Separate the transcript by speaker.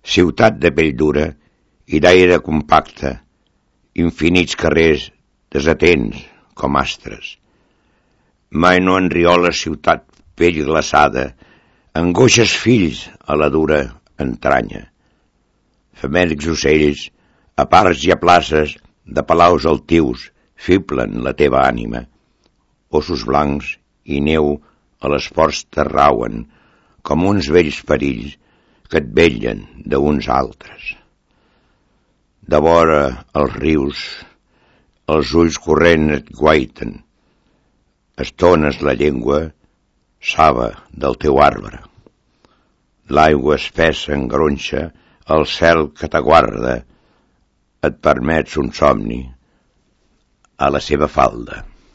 Speaker 1: ciutat de pell dura i d'aire compacte, infinits carrers desatents com astres. Mai no enriola ciutat pell glaçada, angoixes fills a la dura entranya. Famèlics ocells, a parcs i a places de palaus altius, fiblen la teva ànima. Ossos blancs i neu a les ports t'arrauen, com uns vells perills que et vetllen d'uns altres. De vora els rius, els ulls corrent et guaiten, estones la llengua, saba del teu arbre. L'aigua espessa engronxa el cel que t'aguarda, et permets un somni a la seva falda.